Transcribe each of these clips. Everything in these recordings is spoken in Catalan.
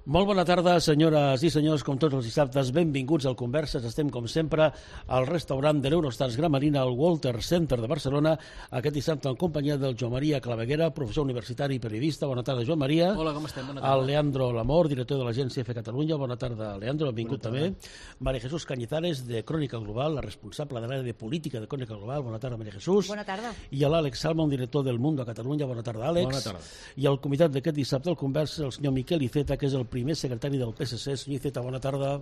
Molt bona tarda, senyores i senyors, com tots els dissabtes, benvinguts al Converses. Estem, com sempre, al restaurant de l'Eurostars Gran Marina, al Walter Center de Barcelona, aquest dissabte en companyia del Joan Maria Claveguera, professor universitari i periodista. Bona tarda, Joan Maria. Hola, com estem? Bona tarda. El Leandro Lamor, director de l'Agència EFE Catalunya. Bona tarda, Leandro, benvingut també. María Jesús Cañizares, de Crònica Global, la responsable de l'àrea de política de Crònica Global. Bona tarda, María Jesús. Bona tarda. I l'Àlex Salmon, director del Mundo a Catalunya. Bona tarda, Àlex. Bona tarda. I el convidat d'aquest dissabte al Converses, el senyor Miquel Iceta, que és el primer secretari del PSC. Senyor Iceta, bona tarda.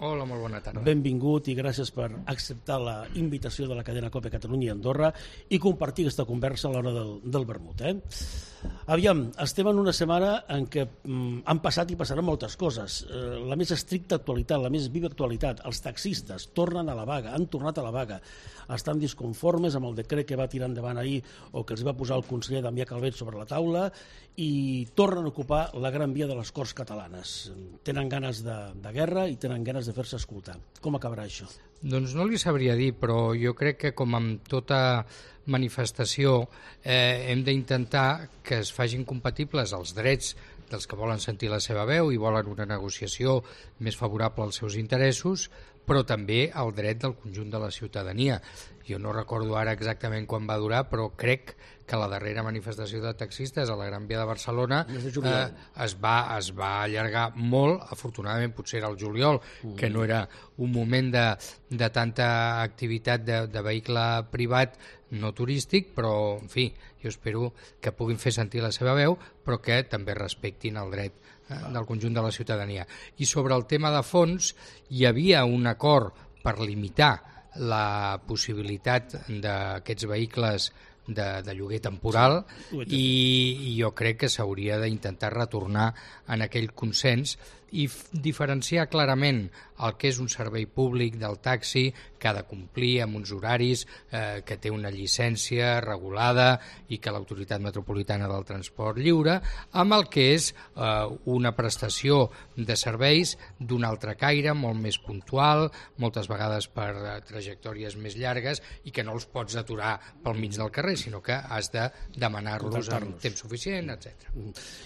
Hola, molt bona tarda. Benvingut i gràcies per acceptar la invitació de la cadena COPE Catalunya i Andorra i compartir aquesta conversa a l'hora del vermut. Aviam, estem en una setmana en què han passat i passaran moltes coses. La més estricta actualitat, la més viva actualitat, els taxistes tornen a la vaga, han tornat a la vaga, estan disconformes amb el decret que va tirar endavant ahir o que els va posar el conseller Damià Calvet sobre la taula i tornen a ocupar la Gran Via de les Corts Catalanes. Tenen ganes de guerra i tenen ganes de fer-se escoltar. Com acabarà això? Doncs no li sabria dir, però jo crec que com amb tota manifestació hem d'intentar que es facin compatibles els drets dels que volen sentir la seva veu i volen una negociació més favorable als seus interessos, però també el dret del conjunt de la ciutadania. Jo no recordo ara exactament quan va durar, però crec que la darrera manifestació de taxistes a la Gran Via de Barcelona es va allargar molt, afortunadament potser era el juliol, que no era un moment de tanta activitat de vehicle privat no turístic, però en fi, jo espero que puguin fer sentir la seva veu, però que també respectin el dret del conjunt de la ciutadania. I sobre el tema de fons, hi havia un acord per limitar la possibilitat d'aquests vehicles de lloguer temporal i jo crec que s'hauria d'intentar retornar en aquell consens i diferenciar clarament el que és un servei públic del taxi que ha de complir amb uns horaris, que té una llicència regulada i que l'Autoritat Metropolitana del Transport lliure, amb el que és una prestació de serveis d'un altre caire, molt més puntual, moltes vegades per trajectòries més llargues i que no els pots aturar pel mig del carrer, sinó que has de demanar-los en temps suficient, etc.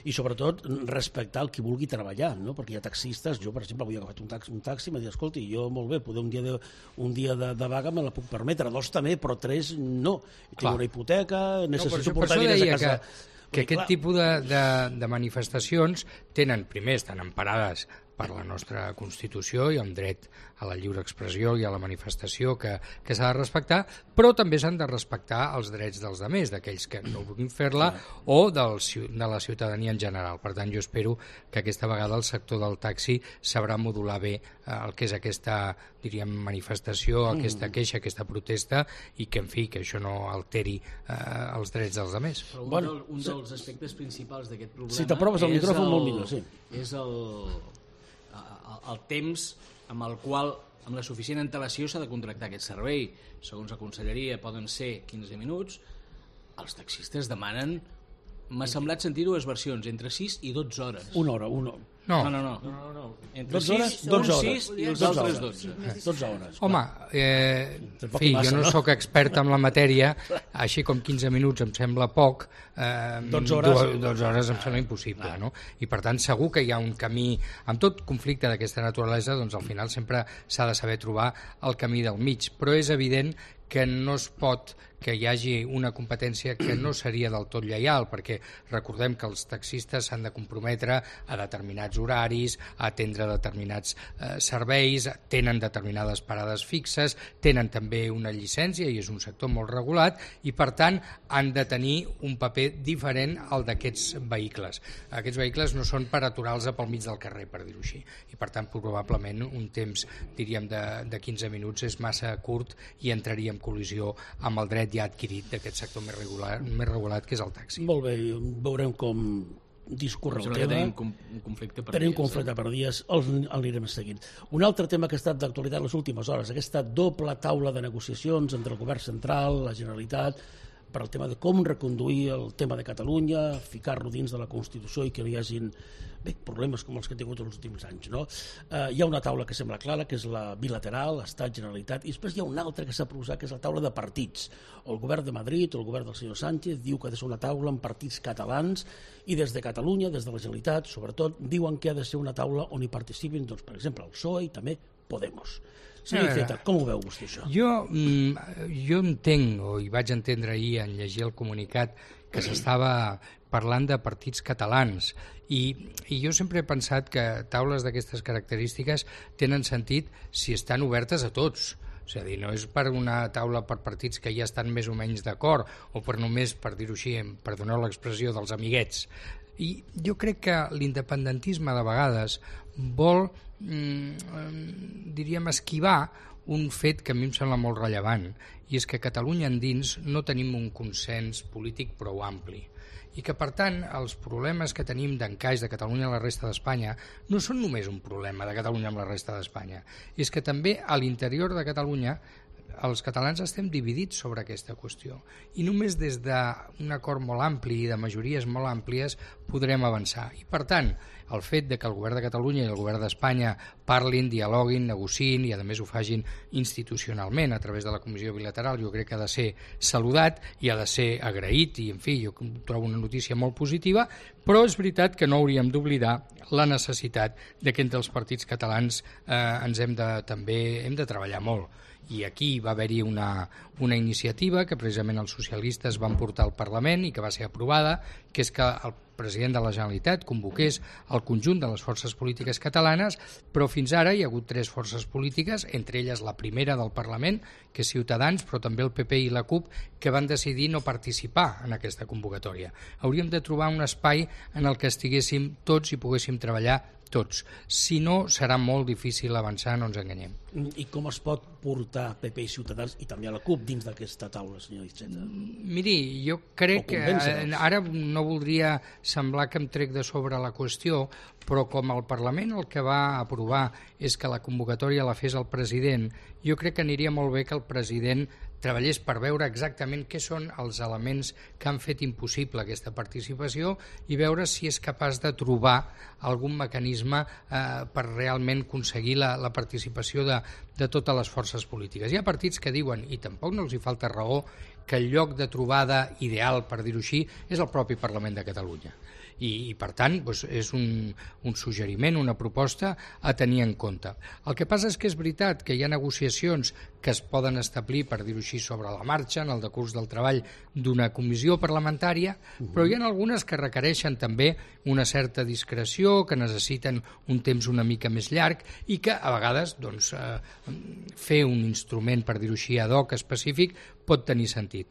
I sobretot respectar el qui vulgui treballar, no? Perquè hi ha taxistes, jo per exemple avui he agafat un taxi i m'ha dit, escolti, jo molt bé, poder un dia de vaga me la puc permetre, 2 també, però 3 no. Tinc una hipoteca, necessito portar diners a casa. Que aquest tipus de manifestacions estan emparades per la nostra Constitució i amb dret a la lliure expressió i a la manifestació que s'ha de respectar, però també s'han de respectar els drets dels altres, d'aquells que no vulguin fer-la o de la ciutadania en general. Per tant, jo espero que aquesta vegada el sector del taxi sabrà modular bé el que és aquesta, diríem, manifestació, aquesta queixa, aquesta protesta i que, en fi, que això no alteri els drets dels altres. Però un dels aspectes principals d'aquest problema... Si t'aproves el micròfon molt millor, sí. És el temps amb el qual, amb la suficient antelació, s'ha de contractar aquest servei. Segons la conselleria poden ser 15 minuts, els taxistes demanen, m'ha semblat sentir dues versions, entre 6 i 12 hores. Una hora. No. Entre 6 i els altres 12. 12 hores. Home, en fi, jo no sóc expert en la matèria, així com 15 minuts em sembla poc, 12 hores em sembla impossible, no? I per tant segur que hi ha un camí, amb tot conflicte d'aquesta naturalesa, doncs al final sempre s'ha de saber trobar el camí del mig, però és evident que no es pot que hi hagi una competència que no seria del tot lleial, perquè recordem que els taxistes s'han de comprometre a determinats horaris, a atendre determinats serveis, tenen determinades parades fixes, tenen també una llicència i és un sector molt regulat i per tant han de tenir un paper diferent al d'aquests vehicles. Aquests vehicles no són per aturar-los pel mig del carrer, per dir-ho així, i per tant probablement un temps, diríem, de 15 minuts és massa curt i entraria en col·lisió amb el dret ja adquirit d'aquest sector més regulat que és el taxi. Molt bé, veurem com discorre el tema. Tenim un conflicte per dies. Tenim un conflicte per dies, l'anirem seguint. Un altre tema que ha estat d'actualitat les últimes hores, aquesta doble taula de negociacions entre el govern central, la Generalitat, per al tema de com reconduir el tema de Catalunya, ficar-lo dins de la Constitució i que no hi hagin problemes com els que ha tingut els últims anys. No? Hi ha una taula que sembla clara, que és la bilateral, Estat, Generalitat, i després hi ha una altra que s'ha proposat, que és la taula de partits. El govern de Madrid o el govern del senyor Sánchez diu que ha de ser una taula amb partits catalans i des de Catalunya, des de la Generalitat, sobretot, diuen que ha de ser una taula on hi participin, doncs, per exemple, el PSOE i també Podemos. Senyor Iceta, com ho veu vostè, això? Jo entenc, o hi vaig entendre ahir en llegir el comunicat, que s'estava parlant de partits catalans i jo sempre he pensat que taules d'aquestes característiques tenen sentit si estan obertes a tots. És a dir, no és per una taula per partits que ja estan més o menys d'acord o per només, per dir-ho així, perdoneu l'expressió, dels amiguets. I jo crec que l'independentisme de vegades vol, diríem, esquivar un fet que a mi em sembla molt rellevant, i és que a Catalunya endins no tenim un consens polític prou ampli i que, per tant, els problemes que tenim d'encaix de Catalunya a la resta d'Espanya no són només un problema de Catalunya amb la resta d'Espanya, és que també a l'interior de Catalunya els catalans estem dividits sobre aquesta qüestió i només des d'un acord molt ampli i de majories molt àmplies podrem avançar. I per tant, el fet de que el govern de Catalunya i el govern d'Espanya parlin, dialoguin, negociïn i a més ho facin institucionalment a través de la comissió bilateral, jo crec que ha de ser saludat i ha de ser agraït i en fi, jo trobo una notícia molt positiva, però és veritat que no hauríem d'oblidar la necessitat de que entre els partits catalans també hem de treballar molt. I aquí va haver-hi una iniciativa que precisament els socialistes van portar al Parlament i que va ser aprovada, que és que el president de la Generalitat convoqués el conjunt de les forces polítiques catalanes, però fins ara hi ha hagut 3 forces polítiques, entre elles la primera del Parlament, que és Ciutadans, però també el PP i la CUP, que van decidir no participar en aquesta convocatòria. Hauríem de trobar un espai en el que estiguéssim tots i poguéssim treballar tots. Si no, serà molt difícil avançar, no ens enganyem. I com es pot portar PP i Ciutadans i també a la CUP dins d'aquesta taula, senyor Iceta? Miri, jo crec que ara no voldria semblar que em trec de sobre la qüestió, però com el Parlament el que va aprovar és que la convocatòria la fes el president, jo crec que aniria molt bé que el president treballés per veure exactament què són els elements que han fet impossible aquesta participació i veure si és capaç de trobar algun mecanisme per realment aconseguir la participació de totes les forces polítiques. Hi ha partits que diuen, i tampoc no els hi falta raó, que el lloc de trobada ideal, per dir-ho així, és el propi Parlament de Catalunya. I per tant, és un suggeriment, una proposta a tenir en compte. El que passa és que és veritat que hi ha negociacions que es poden establir, per dir-ho així, sobre la marxa, en el decurs del treball d'una comissió parlamentària, però hi ha algunes que requereixen també una certa discreció, que necessiten un temps una mica més llarg i que a vegades fer un instrument, per dir-ho així, ad hoc específic, pot tenir sentit.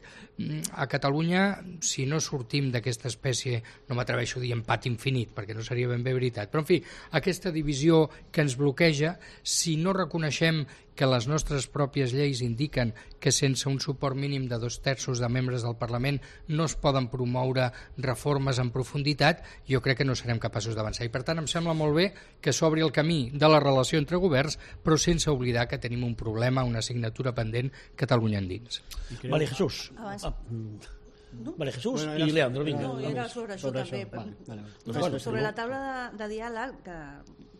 A Catalunya, si no sortim d'aquesta espècie, no m'atreveixo a dir empat infinit, perquè no seria ben bé veritat, però en fi, aquesta divisió que ens bloqueja, si no reconeixem que les nostres pròpies lleis indiquen que sense un suport mínim de 2/3 de membres del Parlament no es poden promoure reformes en profunditat, jo crec que no serem capaços d'avançar. I per tant em sembla molt bé que s'obri el camí de la relació entre governs, però sense oblidar que tenim un problema, una assignatura pendent, Catalunya endins. María Jesús. María Jesús i Leandro, vinga. No, era sobre això també. Sobre la taula de diàleg, que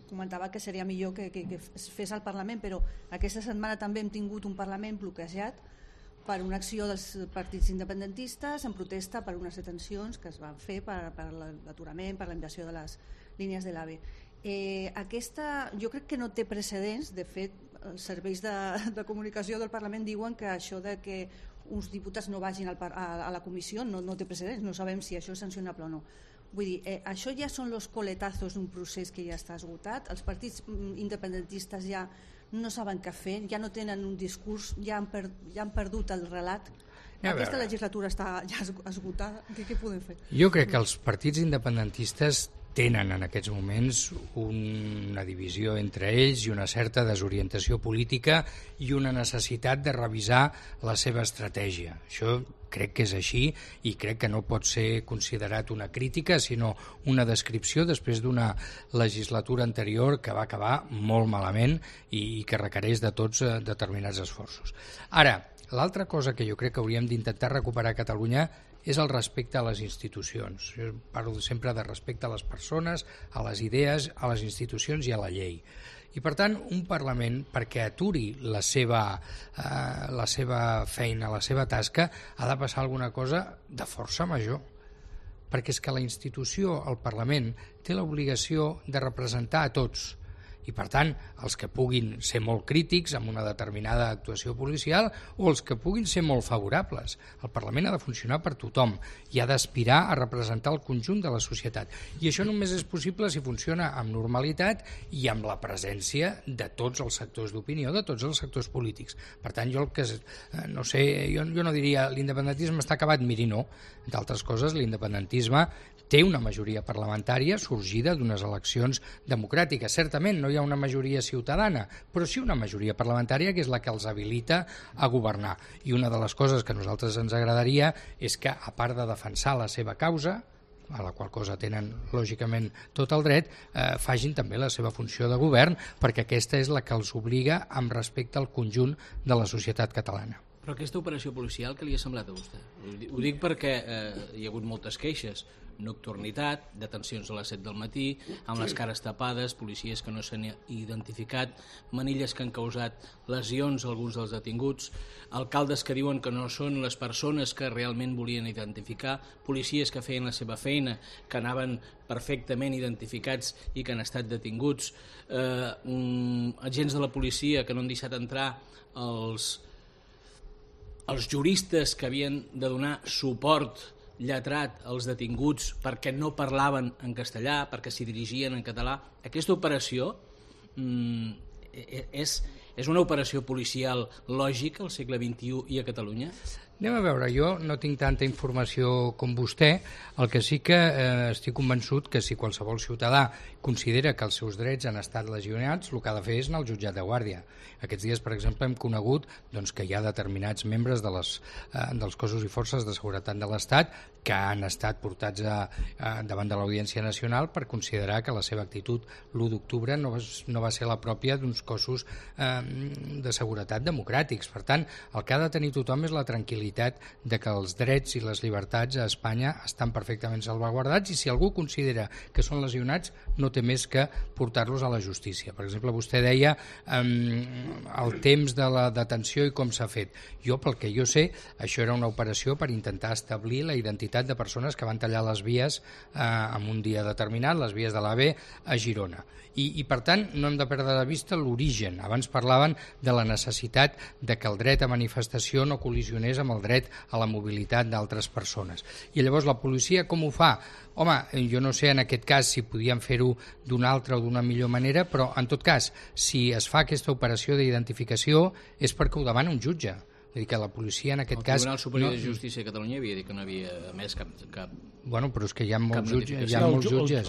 comentava que seria millor que es fes al Parlament, però aquesta setmana també hem tingut un Parlament bloquejat per una acció dels partits independentistes en protesta per unes detencions que es van fer per l'aturament, per la invasió de les línies de l'AVE. Aquesta jo crec que no té precedents. De fet, els serveis de comunicació del Parlament diuen que això de que uns diputats no vagin a la comissió no té precedents, no sabem si això és sancionable o no. Vull dir, això ja són los coletazos d'un procés que ja està esgotat. Els partits independentistes ja no saben què fer, ja no tenen un discurs, ja han perdut el relat. Aquesta legislatura està ja esgotada. Què podem fer? Jo crec que els partits independentistes tenen en aquests moments una divisió entre ells i una certa desorientació política i una necessitat de revisar la seva estratègia. Això crec que és així i crec que no pot ser considerat una crítica, sinó una descripció després d'una legislatura anterior que va acabar molt malament i que requereix de tots determinats esforços. Ara, L'altra cosa que jo crec que hauríem d'intentar recuperar a Catalunya és el respecte a les institucions. Jo parlo sempre de respecte a les persones, a les idees, a les institucions i a la llei. I per tant, un Parlament, perquè aturi la seva feina, la seva tasca, ha de passar alguna cosa de força major. Perquè és que la institució, el Parlament, té l'obligació de representar a tots. I per tant, els que puguin ser molt crítics amb una determinada actuació policial o els que puguin ser molt favorables. El Parlament ha de funcionar per tothom i ha d'aspirar a representar el conjunt de la societat. I això només és possible si funciona amb normalitat i amb la presència de tots els sectors d'opinió, de tots els sectors polítics. Per tant, jo no sé, jo no diria l'independentisme està acabat, miri, no. D'altres coses, l'independentisme té una majoria parlamentària sorgida d'unes eleccions democràtiques. Certament no hi ha una majoria ciutadana, però sí una majoria parlamentària que és la que els habilita a governar. I una de les coses que a nosaltres ens agradaria és que, a part de defensar la seva causa, a la qual cosa tenen lògicament tot el dret, facin també la seva funció de govern, perquè aquesta és la que els obliga amb respecte al conjunt de la societat catalana. Però aquesta operació policial, què li ha semblat a vostè? Ho dic perquè hi ha hagut moltes queixes. Nocturnitat, detencions a les 7 del matí, amb les cares tapades, policies que no s'han identificat, manilles que han causat lesions a alguns dels detinguts, alcaldes que diuen que no són les persones que realment volien identificar, policies que feien la seva feina, que anaven perfectament identificats i que han estat detinguts, agents de la policia que no han deixat entrar els juristes que havien de donar suport lletrat als detinguts perquè no parlaven en castellà, perquè s'hi dirigien en català. Aquesta operació és una operació policial lògica al segle XXI i a Catalunya? Anem a veure, jo no tinc tanta informació com vostè, el que sí que estic convençut que si qualsevol ciutadà considera que els seus drets han estat lesionats, el que ha de fer és anar al jutjat de guàrdia. Aquests dies, per exemple, hem conegut que hi ha determinats membres dels cossos i forces de seguretat de l'Estat que han estat portats davant de l'Audiència Nacional per considerar que la seva actitud l'1 d'octubre no va ser la pròpia d'uns cossos de seguretat democràtics. Per tant, el que ha de tenir tothom és la tranquil·litat de que els drets i les llibertats a Espanya estan perfectament salvaguardats i si algú considera que són lesionats no té més que portar-los a la justícia. Per exemple, vostè deia el temps de la detenció i com s'ha fet. Jo, pel que jo sé, això era una operació per intentar establir la identitat de persones que van tallar les vies en un dia determinat, les vies de l'AVE a Girona. I per tant, no hem de perdre de vista l'origen. Abans parlaven de la necessitat de que el dret a manifestació no col·lisionés amb el dret a la mobilitat d'altres persones. I llavors la policia com ho fa? Home, jo no sé en aquest cas si podien fer-ho d'una altra o d'una millor manera, però en tot cas, si es fa aquesta operació d'identificació és perquè ho demana un jutge. Vull dir que la policia en aquest cas... El Tribunal Superior de Justícia de Catalunya havia dit que no havia emès cap... Bueno, però és que hi ha molts jutges.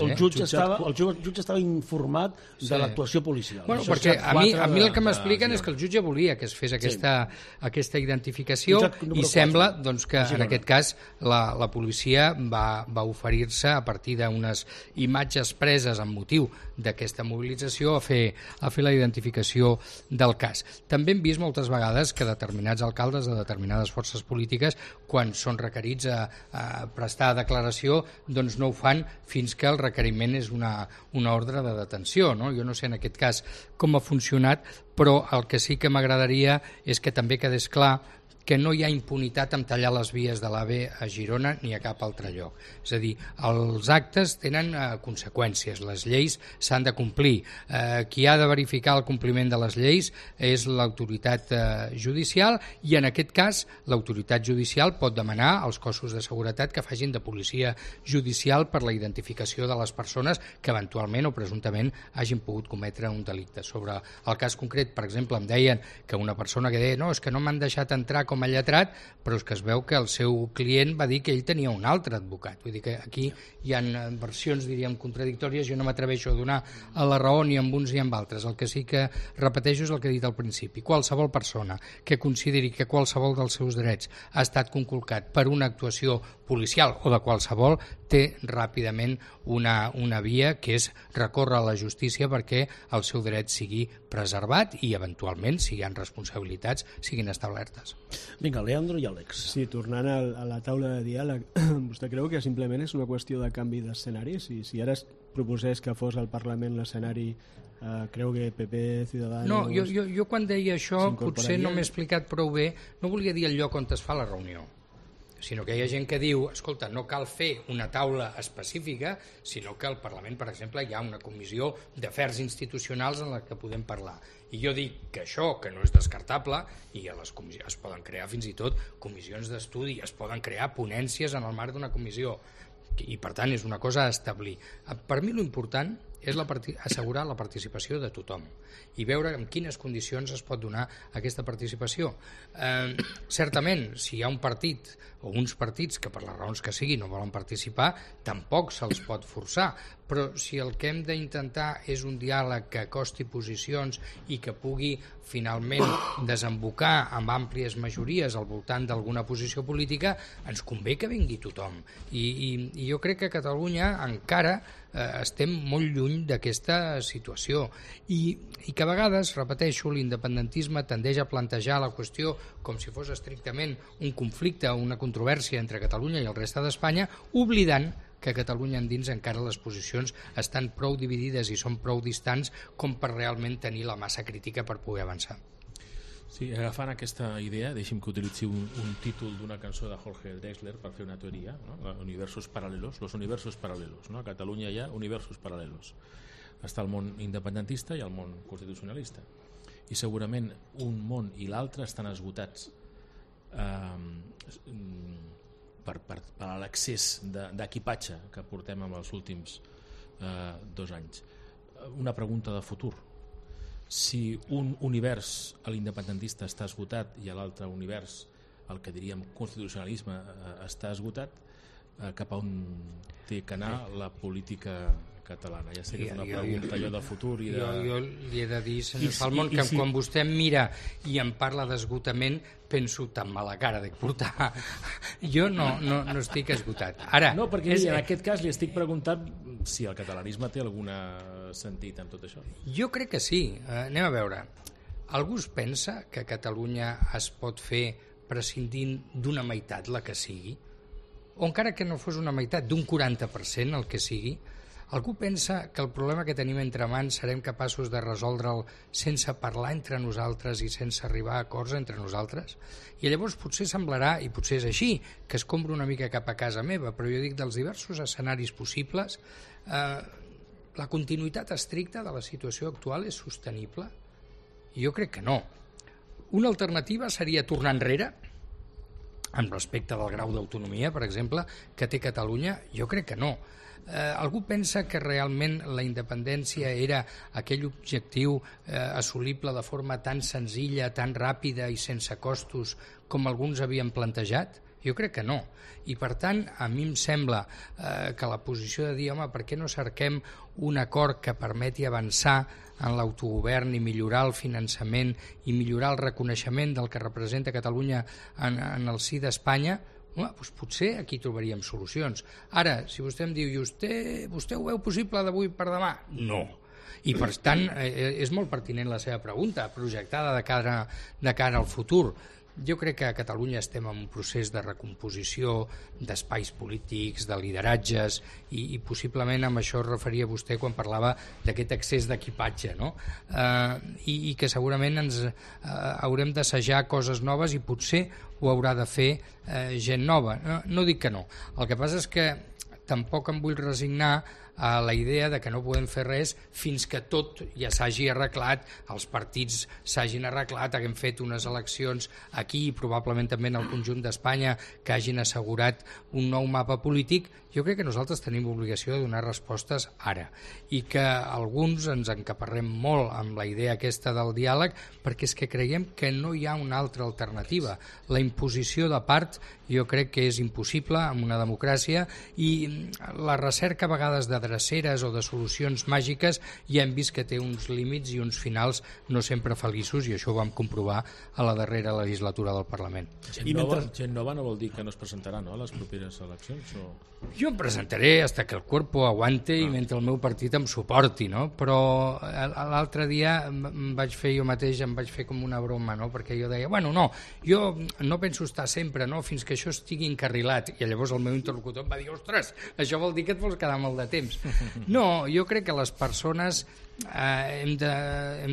El jutge estava informat de l'actuació policial. Bueno, perquè a mi el que m'expliquen és que el jutge volia que es fes aquesta identificació i sembla que en aquest cas la policia va oferir-se a partir d'unes imatges preses amb motiu d'aquesta mobilització a fer la identificació del cas. També hem vist moltes vegades que determinats alcaldes de determinades forces polítiques, quan són requerits a prestar declaració, doncs no ho fan fins que el requeriment és una ordre de detenció. No? Jo no sé en aquest cas com ha funcionat, però el que sí que m'agradaria és que també quedés clar que no hi ha impunitat en tallar les vies de l'AVE a Girona ni a cap altre lloc. És a dir, els actes tenen conseqüències, les lleis s'han de complir. Qui ha de verificar el compliment de les lleis és l'autoritat judicial i en aquest cas l'autoritat judicial pot demanar als cossos de seguretat que facin de policia judicial per la identificació de les persones que eventualment o presumptament hagin pogut cometre un delicte. Sobre el cas concret, per exemple, em deien que una persona que deia no, és que no m'han deixat entrar com a lletrat, però és que es veu que el seu client va dir que ell tenia un altre advocat. Vull dir que aquí hi ha versions, diríem, contradictòries. Jo no m'atreveixo a donar a la raó ni amb uns ni amb altres. El que sí que repeteixo és el que he dit al principi. Qualsevol persona que consideri que qualsevol dels seus drets ha estat conculcat per una actuació policial o de qualsevol, té ràpidament una via que és recórrer a la justícia perquè el seu dret sigui preservat i eventualment, si hi ha responsabilitats, siguin establertes. Vinga, Leandro i Àlex. Sí, tornant a la taula de diàleg, vostè creu que simplement és una qüestió de canvi d'escenari? Si ara es proposés que fos al Parlament l'escenari, creu que PP, Ciudadanos... No, jo quan deia això potser no m'he explicat prou bé, no volia dir el lloc on es fa la reunió, sinó que hi ha gent que diu, escolta, no cal fer una taula específica, sinó que al Parlament, per exemple, hi ha una comissió d'afers institucionals en la que podem parlar. I jo dic que això, que no és descartable, i a les comissions es poden crear fins i tot comissions d'estudi, es poden crear ponències en el marc d'una comissió, i per tant és una cosa a establir. Per mi l'important és assegurar la participació de tothom i veure en quines condicions es pot donar aquesta participació. Certament, si hi ha un partit o uns partits que per les raons que sigui no volen participar, tampoc se'ls pot forçar, però si el que hem d'intentar és un diàleg que acosti posicions i que pugui finalment desembocar amb àmplies majories al voltant d'alguna posició política, ens convé que vingui tothom. I jo crec que a Catalunya encara estem molt lluny d'aquesta situació i que a vegades, repeteixo, l'independentisme tendeix a plantejar la qüestió com si fos estrictament un conflicte o una controvèrsia entre Catalunya i el reste d'Espanya, oblidant que a Catalunya endins encara les posicions estan prou dividides i són prou distants com per realment tenir la massa crítica per poder avançar. Sí, agafant aquesta idea, deixi'm que utilitzi un títol d'una cançó de Jorge Drexler per fer una teoria, no? Universos paralelos, los universos paralelos, no? A Catalunya hi ha universos paralelos. Està el món independentista i el món constitucionalista. I segurament un món i l'altre estan esgotats per l'excés d'equipatge que portem en els últims 2 anys. Una pregunta de futur. Si un univers, l'independentista, està esgotat i l'altre univers, el que diríem constitucionalisme, està esgotat, cap a on té que anar la política catalana? Ja sé que és una pregunta allò del futur i de... Jo li he de dir, senyor Salmon, que quan vostè em mira i em parla d'esgotament, penso tan mala cara de portar. Jo no estic esgotat. Ara, no, perquè en aquest cas li estic preguntant si el catalanisme té algun sentit en tot això. Jo crec que sí. Anem a veure. Algú es pensa que Catalunya es pot fer prescindint d'una meitat, la que sigui? O encara que no fos una meitat, d'un 40%, el que sigui? Algú pensa que el problema que tenim entre mans serem capaços de resoldre'l sense parlar entre nosaltres i sense arribar a acords entre nosaltres? I llavors potser semblarà, i potser és així, que escombro una mica cap a casa meva, però jo dic dels diversos escenaris possibles, la continuïtat estricta de la situació actual és sostenible? Jo crec que no. Una alternativa seria tornar enrere, en respecte del grau d'autonomia, per exemple, que té Catalunya? Jo crec que no. Algú pensa que realment la independència era aquell objectiu assolible de forma tan senzilla, tan ràpida i sense costos com alguns havien plantejat? Jo crec que no. I per tant, a mi em sembla que la posició de dir, home, per què no cerquem un acord que permeti avançar en l'autogovern i millorar el finançament i millorar el reconeixement del que representa Catalunya en el si d'Espanya, doncs potser aquí trobaríem solucions. Ara, si vostè em diu, vostè ho veu possible d'avui per demà? No. I per tant, és molt pertinent la seva pregunta, projectada de cara al futur. Jo crec que a Catalunya estem en un procés de recomposició d'espais polítics, de lideratges, i possiblement amb això es referia vostè quan parlava d'aquest excés d'equipatge, no? I que segurament ens haurem d'assajar coses noves i potser ho haurà de fer gent nova. No dic que no. El que passa és que tampoc em vull resignar a la idea de que no podem fer res fins que tot ja s'hagi arreglat, els partits s'hagin arreglat, haguem fet unes eleccions aquí i probablement també en el conjunt d'Espanya que hagin assegurat un nou mapa polític. Jo crec que nosaltres tenim obligació de donar respostes ara i que alguns ens encaparrem molt amb la idea aquesta del diàleg perquè és que creiem que no hi ha una altra alternativa. La imposició de part jo crec que és impossible en una democràcia i la recerca a vegades de dreceres o de solucions màgiques, ja hem vist que té uns límits i uns finals no sempre feliços, i això ho vam comprovar a la darrera legislatura del Parlament. Gent nova no vol dir que no es presentarà, no, a les properes eleccions? Jo em presentaré hasta que el cuerpo aguante i mentre el meu partit em suporti, no? Però l'altre dia em vaig fer com una broma, no? Perquè jo deia, bueno, no, jo no penso estar sempre, no?, fins que això estigui encarrilat. I llavors el meu interlocutor em va dir, ostres, això vol dir que et vols quedar molt de temps. No, jo crec que les persones hem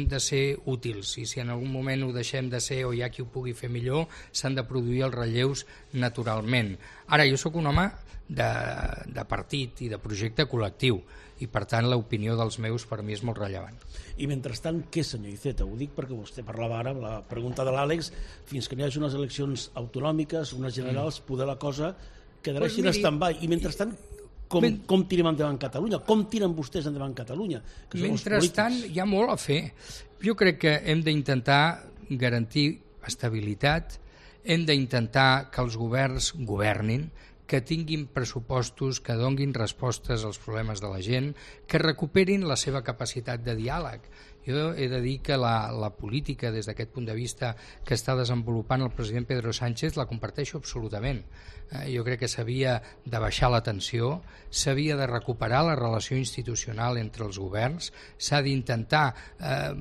de ser útils, i si en algun moment ho deixem de ser o hi ha qui ho pugui fer millor, s'han de produir els relleus naturalment. Ara, jo sóc un home de partit i de projecte col·lectiu, i per tant l'opinió dels meus per mi és molt rellevant. I mentrestant, què, senyor Iceta? Ho dic perquè vostè parlava ara, la pregunta de l'Àlex, fins que no hi hagi unes eleccions autonòmiques, unes generals, poder la cosa quedarà així en stand-by. I mentrestant, com tirem endavant Catalunya? Com tiren vostès endavant Catalunya? Mentrestant, hi ha molt a fer. Jo crec que hem d'intentar garantir estabilitat, hem d'intentar que els governs governin, que tinguin pressupostos que donguin respostes als problemes de la gent, que recuperin la seva capacitat de diàleg. Jo he de dir que la política, des d'aquest punt de vista, que està desenvolupant el president Pedro Sánchez, la comparteixo absolutament. Jo crec que s'havia de baixar la tensió, s'havia de recuperar la relació institucional entre els governs, s'ha d'intentar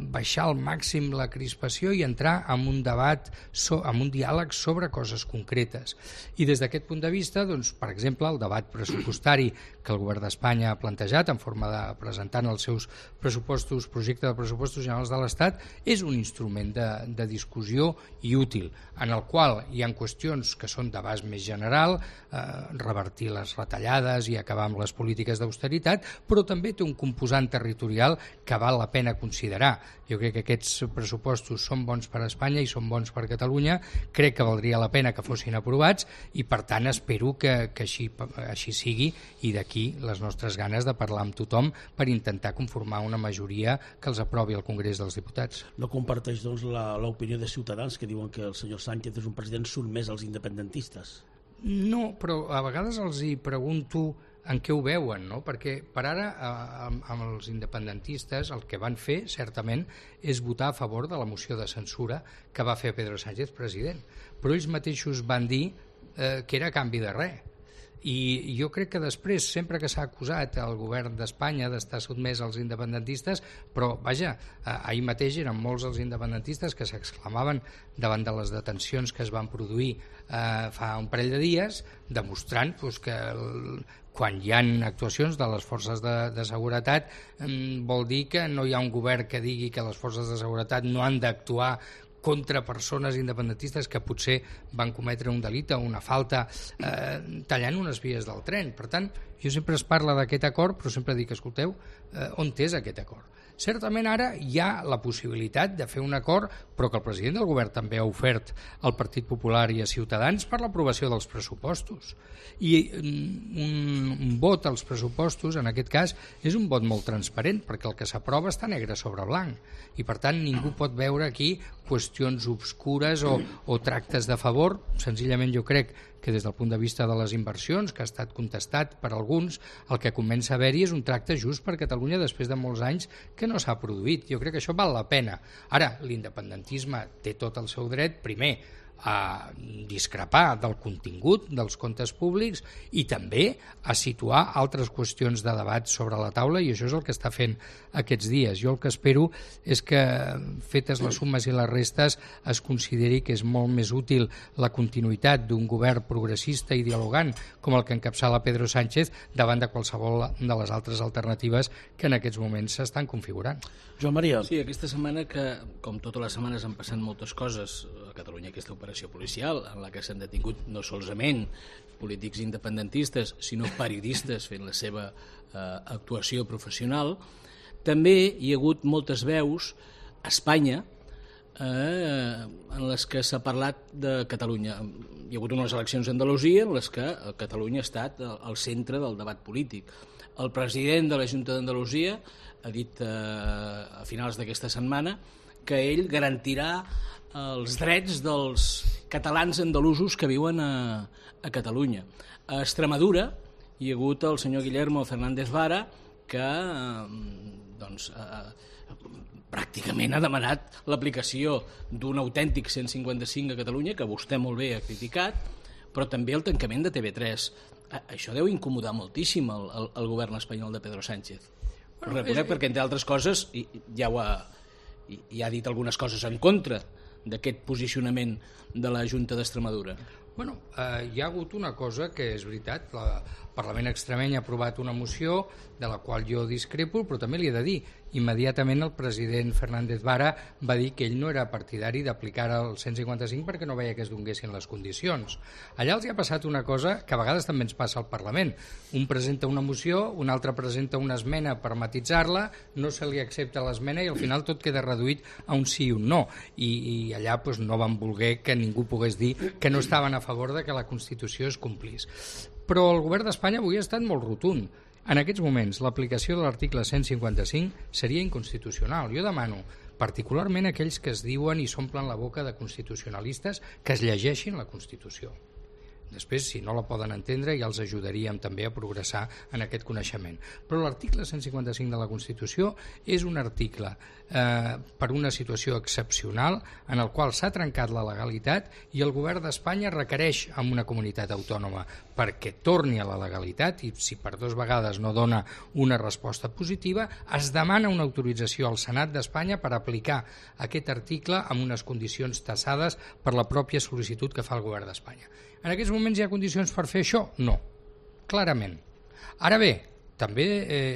baixar al màxim la crispació i entrar en un debat, en un diàleg sobre coses concretes. I des d'aquest punt de vista, doncs, per exemple, el debat pressupostari que el govern d'Espanya ha plantejat en forma de presentant els seus pressupostos, projecte de pressupostos generals de l'Estat, és un instrument de discussió i útil, en el qual hi ha qüestions que són d'abast més general, revertir les retallades i acabar amb les polítiques d'austeritat, però també té un composant territorial que val la pena considerar. Jo crec que aquests pressupostos són bons per a Espanya i són bons per a Catalunya, crec que valdria la pena que fossin aprovats i per tant espero que així sigui, i d'aquí les nostres ganes de parlar amb tothom per intentar conformar una majoria que els aprovi al Congrés dels Diputats. No comparteix doncs l'opinió de Ciutadans que diuen que el senyor Sánchez és un president sotmès als independentistes? No, però a vegades els hi pregunto en què ho veuen, no? Perquè per ara amb els independentistes el que van fer certament és votar a favor de la moció de censura que va fer Pedro Sánchez president, però ells mateixos van dir que era a canvi de res. I jo crec que després, sempre que s'ha acusat el govern d'Espanya d'estar sotmès als independentistes, però vaja, ahir mateix eren molts els independentistes que s'exclamaven davant de les detencions que es van produir fa un parell de dies, demostrant que quan hi ha actuacions de les forces de seguretat vol dir que no hi ha un govern que digui que les forces de seguretat no han d'actuar contra persones independentistes que potser van cometre un delicte o una falta tallant unes vies del tren. Per tant, jo sempre es parla d'aquest acord, però sempre dic, escolteu, on és aquest acord? Certament ara hi ha la possibilitat de fer un acord, però que el president del govern també ha ofert al Partit Popular i a Ciutadans per l'aprovació dels pressupostos. I un vot als pressupostos, en aquest cas, és un vot molt transparent, perquè el que s'aprova està negre sobre blanc. I per tant ningú pot veure aquí qüestions obscures o tractes de favor. Senzillament jo crec que des del punt de vista de les inversions, que ha estat contestat per alguns, el que comença a haver-hi és un tracte just per Catalunya després de molts anys que no s'ha produït. Jo crec que això val la pena. Ara, l'independentisme té tot el seu dret, primer, a discrepar del contingut dels comptes públics i també a situar altres qüestions de debat sobre la taula, i això és el que està fent aquests dies. Jo el que espero és que, fetes les sumes i les restes, es consideri que és molt més útil la continuïtat d'un govern progressista i dialogant com el que encapçala Pedro Sánchez davant de qualsevol de les altres alternatives que en aquests moments s'estan configurant. Joan Maria. Sí, aquesta setmana, que com totes les setmanes han passat moltes coses a Catalunya, aquesta operació policial en la que s'han detingut no solament polítics independentistes sinó periodistes fent la seva actuació professional, també hi ha hagut moltes veus a Espanya en les que s'ha parlat de Catalunya. Hi ha hagut unes eleccions a Andalusia en les que Catalunya ha estat al centre del debat polític. El president de la Junta d'Andalusia ha dit a finals d'aquesta setmana que ell garantirà els drets dels catalans andalusos que viuen a Catalunya. A Extremadura hi ha hagut el senyor Guillermo Fernández Vara, que pràcticament ha demanat l'aplicació d'un autèntic 155 a Catalunya, que vostè molt bé ha criticat, però també el tancament de TV3. Això deu incomodar moltíssim el govern espanyol de Pedro Sánchez. Ho reconec perquè, entre altres coses, ja ha dit algunes coses en contra d'aquest posicionament de la Junta d'Extremadura. Bueno, hi ha hagut una cosa que és veritat, el Parlament extremeny ha aprovat una moció de la qual jo discrepo, però també li he de dir, immediatament el president Fernández Vara va dir que ell no era partidari d'aplicar el 155 perquè no veia que es donguessin les condicions. Allà els hi ha passat una cosa que a vegades també ens passa al Parlament. Un presenta una moció, un altre presenta una esmena per matitzar-la, no se li accepta l'esmena i al final tot queda reduït a un sí i un no. I allà no van voler que ningú pogués dir que no estaven a favor de que la Constitució es complís. Però el govern d'Espanya avui ha estat molt rotund. En aquests moments, l'aplicació de l'article 155 seria inconstitucional. Jo demano, particularment aquells que es diuen i s'omplen la boca de constitucionalistes, que es llegeixin la Constitució. Després, si no la poden entendre, ja els ajudaríem també a progressar en aquest coneixement. Però l'article 155 de la Constitució és un article per una situació excepcional en el qual s'ha trencat la legalitat i el govern d'Espanya requereix a una comunitat autònoma perquè torni a la legalitat i si per 2 vegades no dona una resposta positiva, es demana una autorització al Senat d'Espanya per aplicar aquest article amb unes condicions tassades per la pròpia sol·licitud que fa el govern d'Espanya. En aquests moments hi ha condicions per fer això? No, clarament. Ara bé, també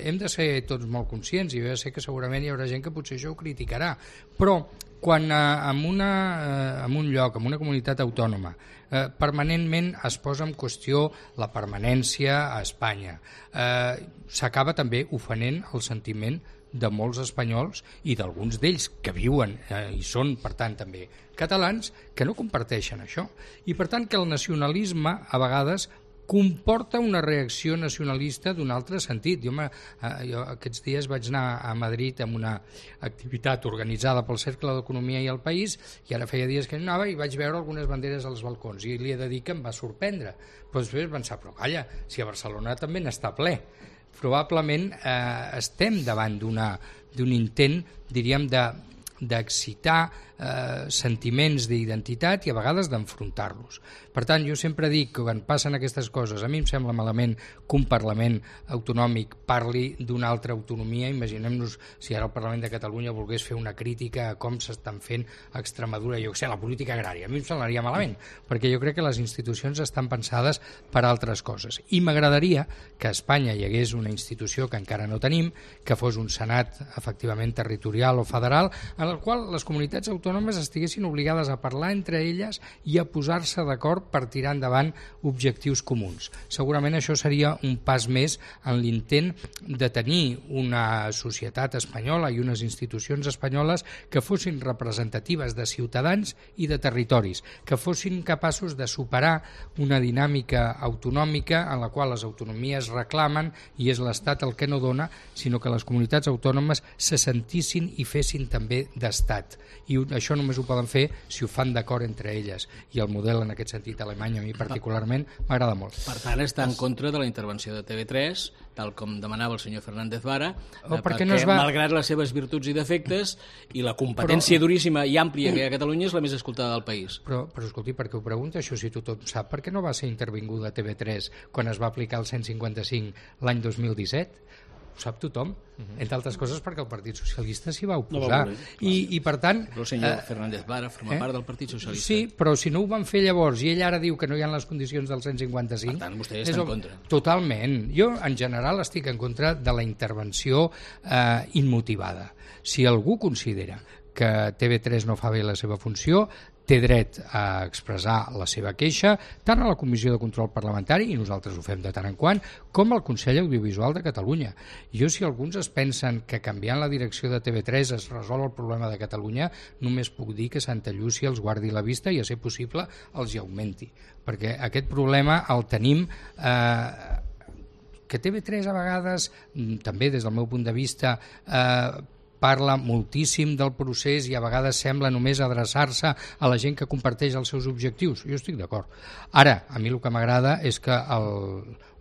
hem de ser tots molt conscients i jo ja sé que segurament hi haurà gent que potser això ho criticarà, però quan en un lloc, en una comunitat autònoma, permanentment es posa en qüestió la permanència a Espanya, s'acaba també ofenent el sentiment de molts espanyols i d'alguns d'ells que viuen i són, per tant, també catalans, que no comparteixen això. I, per tant, que el nacionalisme, a vegades, comporta una reacció nacionalista d'un altre sentit. Jo aquests dies vaig anar a Madrid amb una activitat organitzada pel Cercle d'Economia i el País i ara feia dies que no anava i vaig veure algunes banderes als balcons i li he de dir que em va sorprendre. Però després vaig pensar, però calla, si a Barcelona també n'està ple. Probablement estem davant d'un intent, diríem, d'excitar sentiments d'identitat i a vegades d'enfrontar-los. Per tant, jo sempre dic que quan passen aquestes coses, a mi em sembla malament que un Parlament autonòmic parli d'una altra autonomia. Imaginem-nos si ara el Parlament de Catalunya volgués fer una crítica a com s'estan fent a Extremadura, jo què sé, la política agrària. A mi em semblaria malament, perquè jo crec que les institucions estan pensades per a altres coses. I m'agradaria que a Espanya hi hagués una institució que encara no tenim, que fos un Senat efectivament territorial o federal, en el qual les comunitats autònomes estiguessin obligades a parlar entre elles i a posar-se d'acord per tirar endavant objectius comuns. Segurament això seria un pas més en l'intent de tenir una societat espanyola i unes institucions espanyoles que fossin representatives de ciutadans i de territoris, que fossin capaços de superar una dinàmica autonòmica en la qual les autonomies reclamen i és l'Estat el que no dona, sinó que les comunitats autònomes se sentissin i fessin també d'estat. I això només ho poden fer si ho fan d'acord entre elles. I el model en aquest sentit alemany a mi particularment m'agrada molt. Per tant, està en contra de la intervenció de TV3, tal com demanava el senyor Fernández Vara, perquè malgrat les seves virtuts i defectes i la competència duríssima i àmplia que hi ha a Catalunya és la més escoltada del país. Però escolti, per què ho pregunta això si tothom sap? Per què no va ser intervinguda TV3 quan es va aplicar el 155 l'any 2017? Ho sap tothom, entre altres coses perquè el Partit Socialista s'hi va oposar. I per tant... Però el senyor Fernández Vara forma part del Partit Socialista. Sí, però si no ho van fer llavors i ell ara diu que no hi ha les condicions del 155... Per tant, vostè està en contra. Totalment. Jo, en general, estic en contra de la intervenció immotivada. Si algú considera que TV3 no fa bé la seva funció, té dret a expressar la seva queixa tant a la Comissió de Control Parlamentari, i nosaltres ho fem de tant en quant, com al Consell Audiovisual de Catalunya. Jo, si alguns es pensen que canviant la direcció de TV3 es resol el problema de Catalunya, només puc dir que Santa Llúcia els guardi la vista i, a ser possible, els hi augmenti. Perquè aquest problema el tenim... que TV3 a vegades, també des del meu punt de vista, parla moltíssim del procés i a vegades sembla només adreçar-se a la gent que comparteix els seus objectius. Jo estic d'acord. Ara, a mi el que m'agrada és que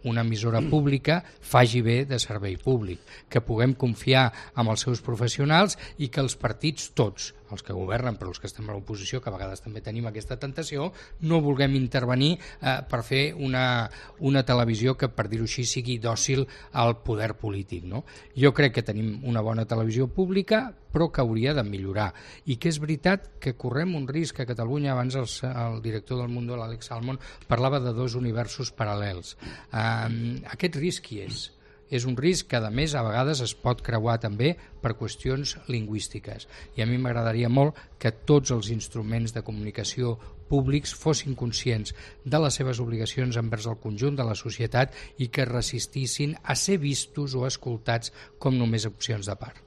una emissora pública faci bé de servei públic, que puguem confiar en els seus professionals i que els partits tots, els que governen però els que estem a l'oposició, que a vegades també tenim aquesta tentació, no vulguem intervenir per fer una televisió que, per dir-ho així, sigui dòcil al poder polític, no? Jo crec que tenim una bona televisió pública, però que hauria de millorar, i que és veritat que correm un risc a Catalunya. Abans el director del Mundo, l'Àlex Salmond, parlava de dos universos paral·lels. Aquest risc hi és. És un risc que, a més, a vegades es pot creuar també per qüestions lingüístiques. I a mi m'agradaria molt que tots els instruments de comunicació públics fossin conscients de les seves obligacions envers el conjunt de la societat i que resistissin a ser vistos o escoltats com només opcions de part.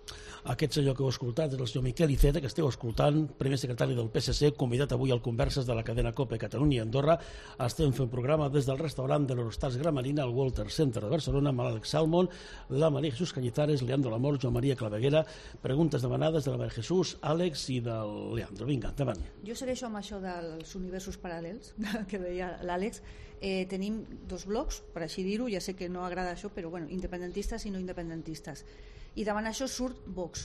Aquest senyor que heu escoltat és el senyor Miquel Iceta, que esteu escoltant, primer secretari del PSC, convidat avui al Converses de la cadena COPE Catalunya i Andorra. Estem fent programa des del restaurant de l'Eurostars Gramarina al Walter Center de Barcelona amb l'Àlex Salmond, la María Jesús Cañizares, Leandro Lamor, Joan Maria Claveguera. Preguntes demanades de la María Jesús, Àlex i del Leandro. Vinga, endavant. Jo segueixo amb això dels universos paral·lels que deia l'Àlex. Tenim dos blocs, per així dir-ho, ja sé que no agrada això, però bueno, independentistes i no independentistes. I davant això surt Vox.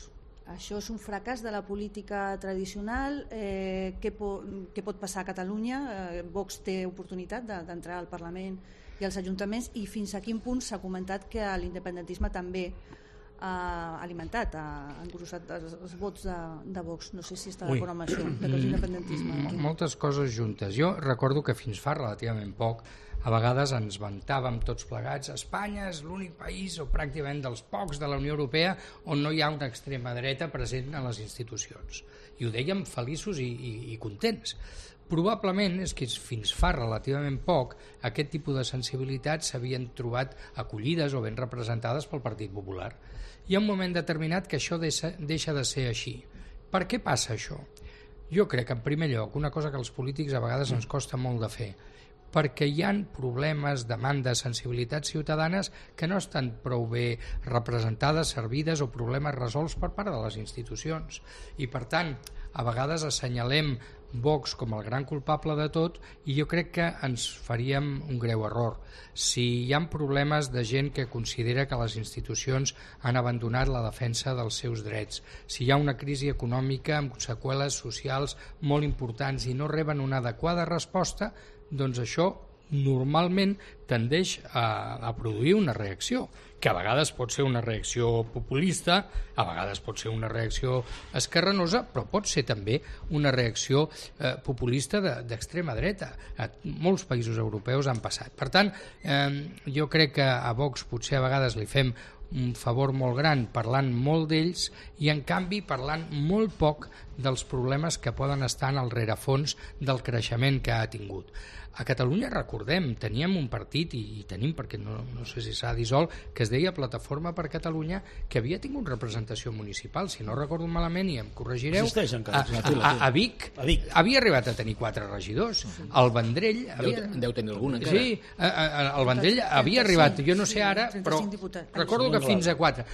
Això és un fracàs de la política tradicional. Què pot passar a Catalunya? Vox té oportunitat d'entrar al Parlament i als ajuntaments, i fins a quin punt s'ha comentat que l'independentisme també ha alimentat, ha engrossat els vots de Vox. No sé si està d'acord amb això, de que l'independentisme... Moltes coses juntes. Jo recordo que fins fa relativament poc a vegades ens vantàvem tots plegats: Espanya és l'únic país, o pràcticament dels pocs de la Unió Europea, on no hi ha una extrema dreta present a les institucions. I ho dèiem feliços i contents. Probablement és que fins fa relativament poc aquest tipus de sensibilitats s'havien trobat acollides o ben representades pel Partit Popular. Hi ha un moment determinat que això deixa de ser així. Per què passa això? Jo crec que, en primer lloc, una cosa que als polítics a vegades ens costa molt de fer, perquè hi ha problemes, demandes, sensibilitats ciutadanes que no estan prou bé representades, servides, o problemes resolts per part de les institucions. I, per tant, a vegades assenyalem Vox com el gran culpable de tot, i jo crec que ens faríem un greu error. Si hi ha problemes de gent que considera que les institucions han abandonat la defensa dels seus drets, si hi ha una crisi econòmica amb seqüeles socials molt importants i no reben una adequada resposta, doncs això normalment tendeix a produir una reacció, que a vegades pot ser una reacció populista, a vegades pot ser una reacció esquerranosa, però pot ser també una reacció populista d'extrema dreta. Molts països europeus han passat. Per tant, jo crec que a Vox potser a vegades li fem un favor molt gran parlant molt d'ells i, en canvi, parlant molt poc dels problemes que poden estar en el rerefons del creixement que ha tingut. A Catalunya, recordem, teníem un partit, i tenim, perquè no sé si s'ha dissolt, que es deia Plataforma per Catalunya, que havia tingut representació municipal, si no recordo malament, i em corregireu, a Vic havia arribat a tenir 4 regidors. El Vendrell... Deu tenir algun, encara. Sí, el Vendrell havia arribat, jo no sé ara, però recordo que fins a 4.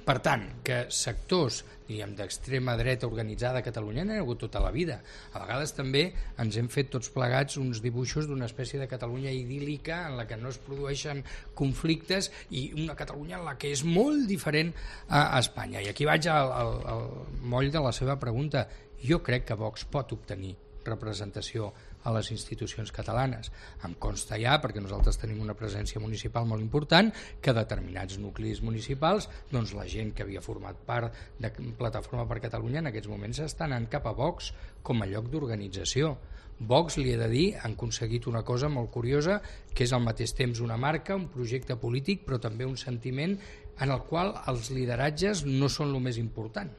Per tant, que sectors d'extrema dreta organitzada a Catalunya n'hi ha hagut tota la vida. A vegades també ens hem fet tots plegats uns dibuixos d'una espècie de Catalunya idíl·lica en la que no es produeixen conflictes, i una Catalunya en la que és molt diferent a Espanya. I aquí vaig al moll de la seva pregunta. Jo crec que Vox pot obtenir representació a les institucions catalanes. Em consta ja, perquè nosaltres tenim una presència municipal molt important, que determinats nuclis municipals, doncs la gent que havia format part de Plataforma per Catalunya en aquests moments està anant cap a Vox com a lloc d'organització. Vox, li he de dir, han aconseguit una cosa molt curiosa, que és al mateix temps una marca, un projecte polític, però també un sentiment en el qual els lideratges no són el més important.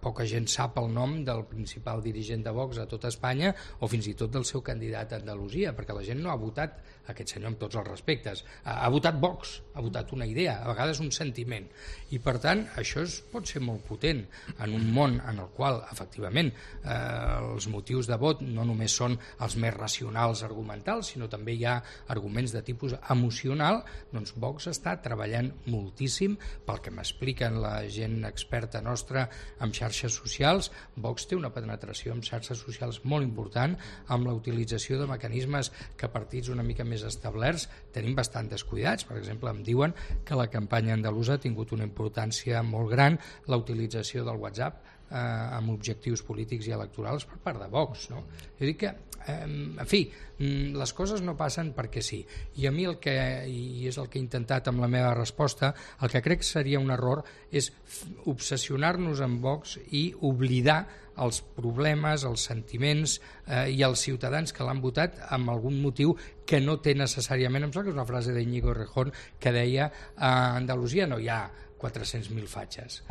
Poca gent sap el nom del principal dirigent de Vox a tota Espanya, o fins i tot del seu candidat a Andalusia, perquè la gent no ha votat aquest senyor, amb tots els respectes, ha votat Vox, ha votat una idea, a vegades un sentiment, i per tant això pot ser molt potent en un món en el qual efectivament els motius de vot no només són els més racionals argumentals, sinó també hi ha arguments de tipus emocional. Doncs Vox està treballant moltíssim, pel que m'expliquen la gent experta nostra amb xarxes socials. Vox té una penetració amb xarxes socials molt important, amb la utilització de mecanismes que partits una mica més establerts tenim bastant descuidats. Per exemple, em diuen que la campanya andalusa ha tingut una importància molt gran la utilització del WhatsApp amb objectius polítics i electorals per part de Vox, no? Jo dic que, en fi, les coses no passen perquè sí. I a mi i és el que he intentat amb la meva resposta, el que crec que seria un error és obsessionar-nos amb Vox i oblidar els problemes, els sentiments i els ciutadans que l'han votat amb algun motiu que no té necessàriament. Em sembla que és una frase d'Iñigo Errejón que deia a Andalusia no hi ha 400.000 fatxes.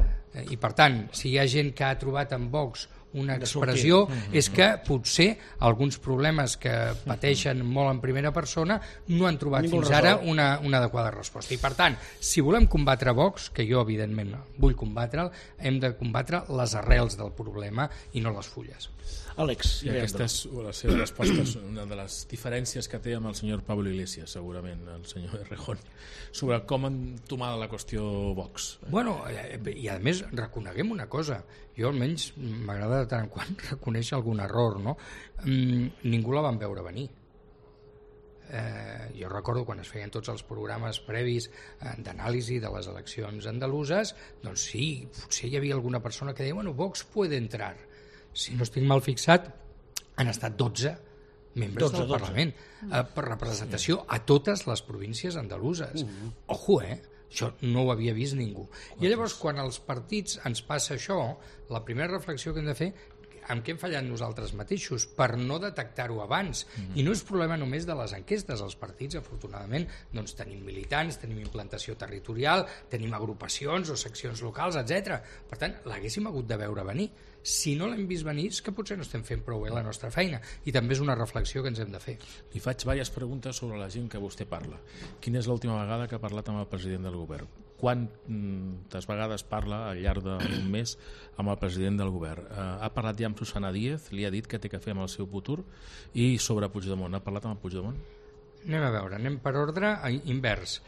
I per tant, si hi ha gent que ha trobat en Vox una expressió, és que potser alguns problemes que pateixen molt en primera persona no han trobat fins ara una adequada resposta. I per tant, si volem combatre Vox, que jo evidentment vull combatre'l, hem de combatre les arrels del problema i no les fulles. Àlex. I aquesta és la seva resposta, una de les diferències que té amb el senyor Pablo Iglesias, segurament, el senyor Errejón, sobre com entomar la qüestió Vox. Bueno, i a més reconeguem una cosa, jo almenys m'agrada de tant en quant reconèixer algun error, no? Ningú la van veure venir. Jo recordo quan es feien tots els programes previs d'anàlisi de les eleccions andaluses, doncs sí, potser hi havia alguna persona que deia, bueno, Vox puede entrar. Si no estic mal fixat, han estat 12 membres del Parlament per representació a totes les províncies andaluses. Ojo, això no ho havia vist ningú. I llavors, quan als partits ens passa això, la primera reflexió que hem de fer, amb què hem fallat nosaltres mateixos per no detectar-ho abans. I no és problema només de les enquestes. Els partits, afortunadament, doncs tenim militants, tenim implantació territorial, tenim agrupacions o seccions locals, etc. Per tant, l'haguéssim hagut de veure venir. Si no l'hem vist venir, és que potser no estem fent prou bé la nostra feina. I també és una reflexió que ens hem de fer. Li faig diverses preguntes sobre la gent que vostè parla. Quina és l'última vegada que ha parlat amb el president del govern? Quantes vegades parla al llarg d'un mes amb el president del govern? Ha parlat ja amb Susana Díaz, li ha dit què té que fer amb el seu futur? I sobre Puigdemont, ha parlat amb el Puigdemont? Anem a veure, anem per ordre invers.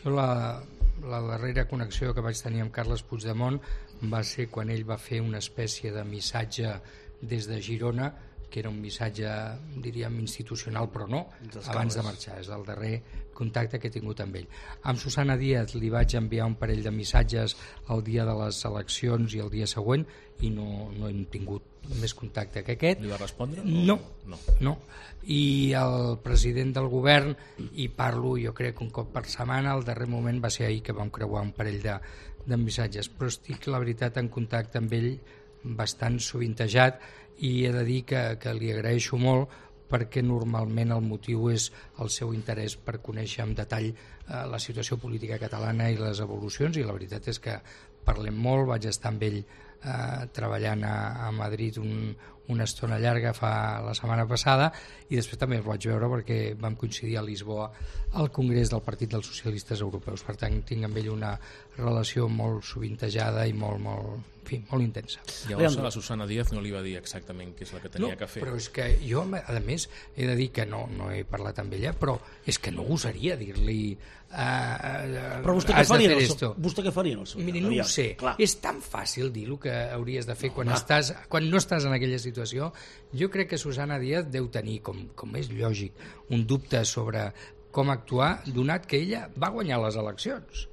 Jo la darrera connexió que vaig tenir amb Carles Puigdemont va ser quan ell va fer una espècie de missatge des de Girona, que era un missatge, diríem, institucional, però no, abans de marxar. És el darrer contacte que he tingut amb ell. Amb Susana Díaz li vaig enviar un parell de missatges el dia de les eleccions i el dia següent i no hem tingut més contacte que aquest. Li va respondre? No. I el president del govern, i parlo jo crec un cop per setmana, el darrer moment va ser ahir que vam creuar un parell de missatges, però estic, la veritat, en contacte amb ell bastant sovintejat i he de dir que li agraeixo molt perquè normalment el motiu és el seu interès per conèixer en detall la situació política catalana i les evolucions, i la veritat és que parlem molt. Vaig estar amb ell treballant a Madrid una estona llarga la setmana passada, i després també el vaig veure perquè vam coincidir a Lisboa al Congrés del Partit dels Socialistes Europeus. Per tant, tinc amb ell una relació molt sovintejada i molt intensa. Llavors a la Susana Díaz no li va dir exactament què és el que tenia que fer. Però és que jo, a més, he de dir que no he parlat amb ella, però és que no gosaria dir-li però vostè què faria en el seu cas? Miri, no ho sé. Clar. És tan fàcil dir el que hauries de fer quan no estàs en aquella situació. Jo crec que Susana Díaz deu tenir, com és lògic, un dubte sobre com actuar, donat que ella va guanyar les eleccions.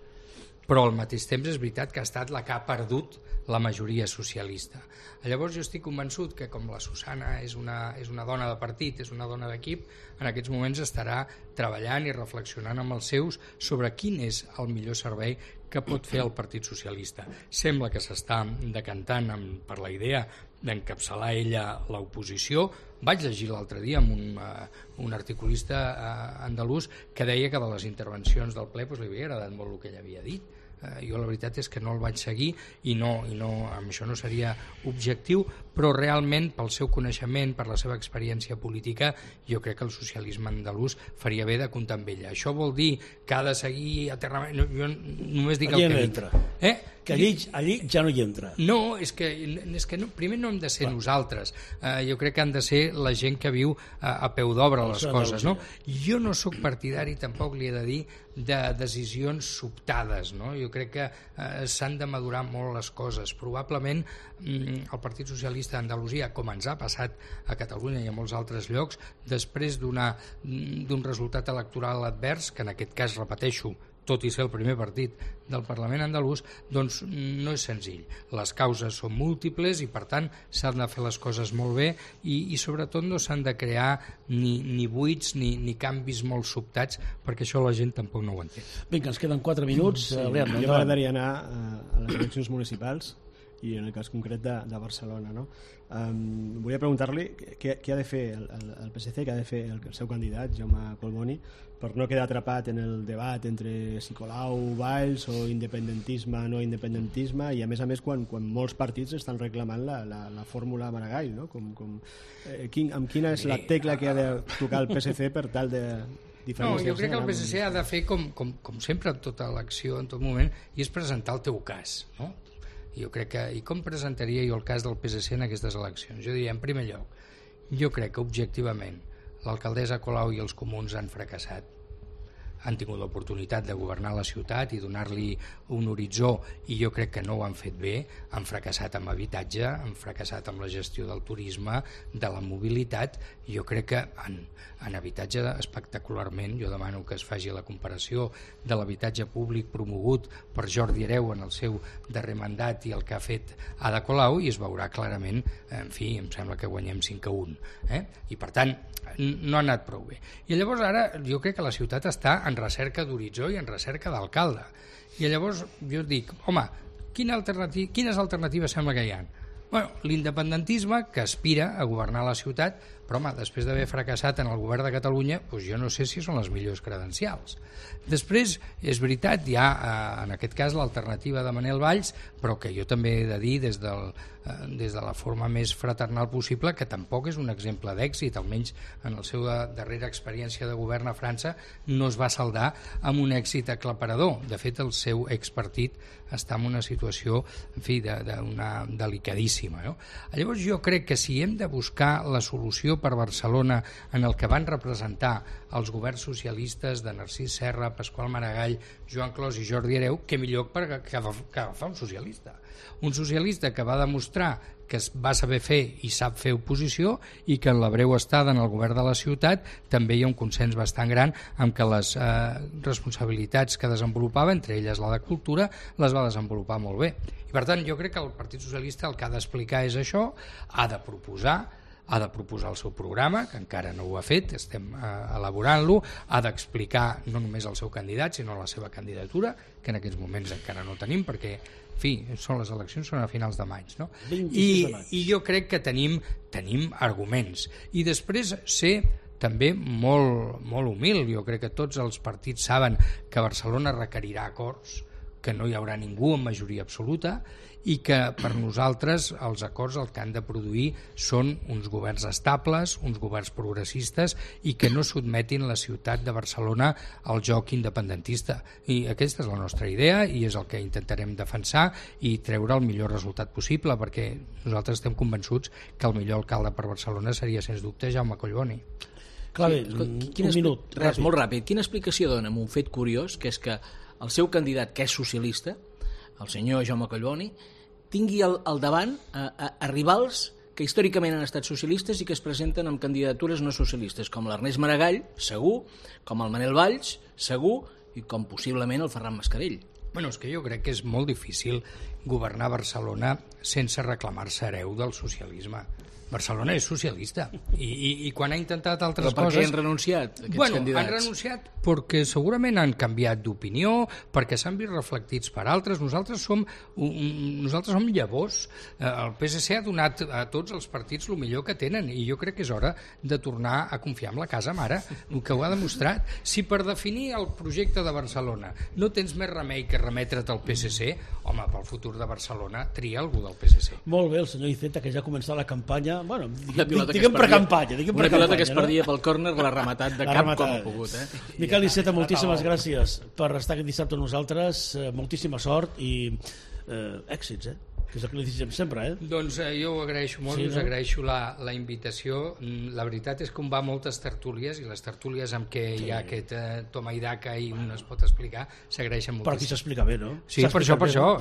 Però al mateix temps és veritat que ha estat la que ha perdut la majoria socialista. Llavors jo estic convençut que com la Susana és una dona de partit, és una dona d'equip, en aquests moments estarà treballant i reflexionant amb els seus sobre quin és el millor servei que pot fer el Partit Socialista. Sembla que s'està decantant per la idea d'encapçalar ella l'oposició. Vaig llegir l'altre dia amb un articulista andalús que deia que de les intervencions del ple li havia agradat molt el que ell havia dit. Jo la veritat és que no el vaig seguir i amb això no seria objectiu, però realment pel seu coneixement, per la seva experiència política, jo crec que el socialisme andalús faria bé de comptar amb ella. Això vol dir que ha de seguir eternament... Jo només dic allí el que no dic. entra. Que allí ja no hi entra. No, és que no, primer no hem de ser nosaltres. Jo crec que han de ser la gent que viu a peu d'obra les coses. No? Jo no sóc partidari, tampoc li he de dir, de decisions sobtades. No? Jo crec que s'han de madurar molt les coses. Probablement el Partit Socialista d'Andalusia, com ens ha passat a Catalunya i a molts altres llocs, després d'un resultat electoral advers, que en aquest cas, repeteixo, tot i ser el primer partit del Parlament andalús, doncs no és senzill. Les causes són múltiples i, per tant, s'han de fer les coses molt bé i sobretot, no s'han de crear ni buits ni canvis molt sobtats, perquè això la gent tampoc no ho entén. Vinga, ens queden 4 minuts. Sí, jo m'agradaria anar a les eleccions municipals i en el cas concret de Barcelona. No? Volia preguntar-li què ha de fer el PSC, què ha de fer el seu candidat, Jaume Collboni, per no quedar atrapat en el debat entre si Colau, Valls o independentisme, no independentisme, i a més quan molts partits estan reclamant la fórmula Maragall, no? Amb quina és la tecla que ha de tocar el PSC per tal de diferenciar-se? No, jo crec que el PSC ha de fer com sempre en tota elecció, en tot moment, i és presentar el teu cas, no? Jo crec que, i com presentaria jo el cas del PSC en aquestes eleccions? Jo diria, en primer lloc, jo crec que objectivament l'alcaldessa Colau i els comuns han fracassat, han tingut l'oportunitat de governar la ciutat i donar-li un horitzó, i jo crec que no ho han fet bé. Han fracassat amb habitatge, han fracassat amb la gestió del turisme, de la mobilitat. Jo crec que en habitatge espectacularment. Jo demano que es faci la comparació de l'habitatge públic promogut per Jordi Hereu en el seu darrer mandat i el que ha fet Ada Colau, i es veurà clarament, en fi, em sembla que guanyem 5-1. I per tant, no ha anat prou bé. I llavors ara jo crec que la ciutat està en recerca d'horitzó i en recerca d'alcalde. I llavors jo dic, home, quines alternatives sembla que hi ha? Bueno, l'independentisme, que aspira a governar la ciutat, però home, després d'haver fracassat en el govern de Catalunya, doncs jo no sé si són les millors credencials. Després, és veritat, hi ha en aquest cas l'alternativa de Manel Valls, però que jo també he de dir des de la forma més fraternal possible que tampoc és un exemple d'èxit, almenys en la seva darrera experiència de govern a França no es va saldar amb un èxit aclaparador. De fet, el seu expartit està en una situació, en fi, delicadíssima. No? Llavors jo crec que si hem de buscar la solució per Barcelona en el que van representar els governs socialistes de Narcís Serra, Pasqual Maragall, Joan Clos i Jordi Hereu, què millor que agafar un socialista. Un socialista que va demostrar que es va saber fer i sap fer oposició i que en la breu estada en el govern de la ciutat també hi ha un consens bastant gran amb que les responsabilitats que desenvolupava, entre elles la de cultura, les va desenvolupar molt bé. I per tant jo crec que el Partit Socialista el que ha d'explicar és això, ha de proposar el seu programa, que encara no ho ha fet, estem elaborant-lo, ha d'explicar no només el seu candidat, sinó la seva candidatura, que en aquests moments encara no tenim, perquè, en fi, les eleccions són a finals de maig, no? I jo crec que tenim arguments. I després ser també molt humil. Jo crec que tots els partits saben que Barcelona requerirà acords, que no hi haurà ningú amb majoria absoluta, i que per nosaltres els acords el que han de produir són uns governs estables, uns governs progressistes i que no sotmetin la ciutat de Barcelona al joc independentista. I aquesta és la nostra idea i és el que intentarem defensar i treure el millor resultat possible, perquè nosaltres estem convençuts que el millor alcalde per Barcelona seria, sens dubte, Jaume Collboni. Clave, un minut. Res, molt ràpid. Quina explicació dona amb un fet curiós, que és que el seu candidat, que és socialista, el senyor Jaume Collboni, tingui al davant a rivals que històricament han estat socialistes i que es presenten amb candidatures no socialistes, com l'Ernest Maragall, segur, com el Manel Valls, segur, i com possiblement el Ferran Mascarell. Bueno, és que jo crec que és molt difícil governar Barcelona sense reclamar-se hereu del socialisme. Barcelona és socialista i quan ha intentat altres coses... Però per què han renunciat aquests candidats? Han renunciat perquè segurament han canviat d'opinió, perquè s'han vist reflectits per altres. Nosaltres som llavors. El PSC ha donat a tots els partits el millor que tenen i jo crec que és hora de tornar a confiar en la casa mare, el que ho ha demostrat. Si per definir el projecte de Barcelona no tens més remei que remetre't al PSC, home, pel futur de Barcelona tria algú del PSC. Molt bé, el senyor Iceta, que ja ha començat la campanya, bueno, diguem precampanya. Una pilota que es perdia pel còrner l'ha rematat de cap com ha pogut. Miquel Iceta, moltíssimes gràcies per estar aquest dissabte amb nosaltres, moltíssima sort i èxits, que és el que li diguem sempre, Doncs jo ho agraeixo molt, us agraeixo la invitació. La veritat és que on va moltes tertúlies, i les tertúlies amb què hi ha aquest toma i daca i un es pot explicar, s'agraeixen moltíssim. Però aquí s'explica bé, no? Sí, per això.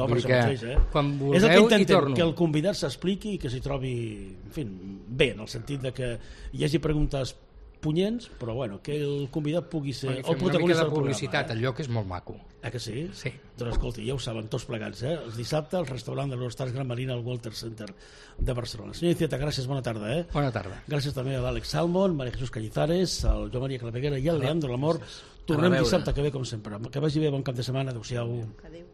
Quan vulgueu hi torno. Que el convidat s'expliqui i que s'hi trobi, en fi, bé, en el sentit de que hi hagi preguntes punyents, però bueno, que el convidat pugui ser el protagonista del publicitat, el lloc és molt maco. Que sí? Sí. Doncs escolti, ja ho saben tots plegats, Els dissabtes al restaurant de l'Eurostars Gran Marina al Walter Center de Barcelona. Senyor Iceta, gràcies, bona tarda, Bona tarda. Gràcies també a l'Àlex Salmon, Maria Jesús Cañizares, al Joan Maria Claveguera i al Leandro Lamor. Tornem dissabte que ve, com sempre. Que vagi bé, bon cap de setmana, adéu-siau. Adéu.